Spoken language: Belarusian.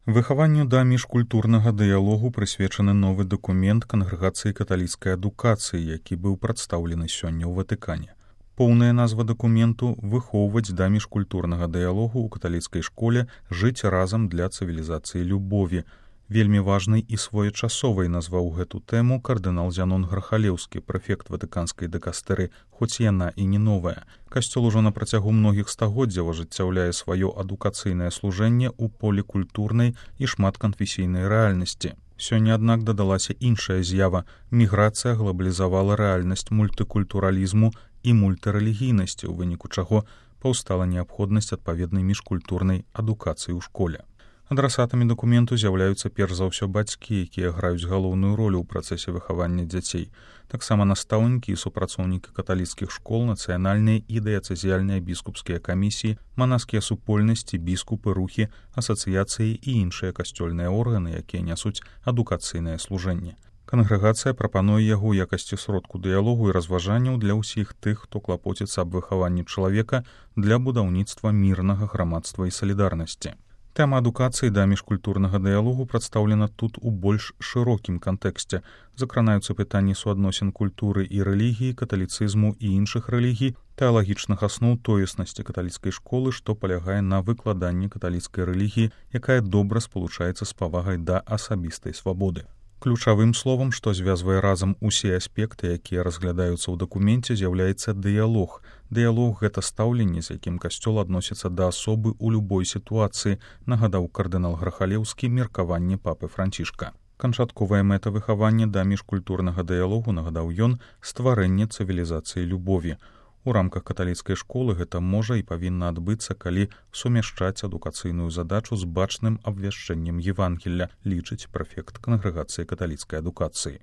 Выхаванню да міжкультурнага дыялогу прысвечаны новы дакумент Кангрэгацыі каталіцкай адукацыі, які быў прадстаўлены сёння ў Ватыкане. Поўная назва дакументу «Выхоўваць да міжкультурнага дыялогу ў каталіцкай школе, жыць разам для цывілізацыі любові». Вельмі важнай і своечасовай назваў гэту тэму кардынал Зянон Грахалеўскі, прэфект ватыканскай дыкастэры, хоць яна і не новая. Касцёл ужо на працягу многіх стагоддзяў ажыццяўляе сваё адукацыйнае служэнне ў полі культурнай і шматканфесійнай рэальнасці. Сёння, аднак, дадалася іншая з'ява. Міграцыя глабалізавала рэальнасць мультыкультуралізму і мультырэлігійнасці, у выніку чаго паўстала неабходнасць адпаведнай міжкультурнай адукацыі ў школе. Адрасатамі дакументу з'яўляюцца перш за ўсё бацькі, якія граюць галоўную ролю ў працэсе выхавання дзяцей. Таксама настаўнікі і супрацоўнікі каталіцкіх школ, нацыянальныя і дыяцэзіяльныя біскупскія камісіі, манаскія супольнасці, біскупы, рухі, асацыяцыі і іншыя касцёльныя органы, якія нясуць адукацыйнае служэнне. Кангрэгацыя прапануе яго ў якасці сродку дыялогу і разважанняў для ўсіх тых, хто клапоціцца аб выхаванні чалавека для будаўніцтва мірнага грамадства і салідарнасці. Тэма адукацыі да міжкультурнага дыялогу прадстаўлена тут у больш шырокім кантэксце. Закранаюцца пытанні суадносін культуры і рэлігіі, каталіцызму і іншых рэлігій, тэалагічных асноў тоеснасці каталіцкай школы, што палягае на выкладанні каталіцкай рэлігіі, якая добра спалучаецца з павагай да асабістай свабоды. Ключавым словам, што звязвае разам усе аспекты, якія разглядаюцца ў дакуменце, з'яўляецца дыялог. Дыялог — гэта стаўленне, з якім касцёл адносіцца да асобы ў любой сітуацыі, нагадаў кардынал Грахалеўскі меркаванне папы Францішка. Канчатковая мэта выхавання да міжкультурнага дыялогу, нагадаў ён, стварэнне цывілізацыі любові. У рамках каталіцкай школы гэта можа і павінна адбыцца, калі сумяшчаць адукацыйную задачу з бачным абвяшчэннем Евангелля, лічыць прэфект Кангрэгацыі каталіцкай адукацыі.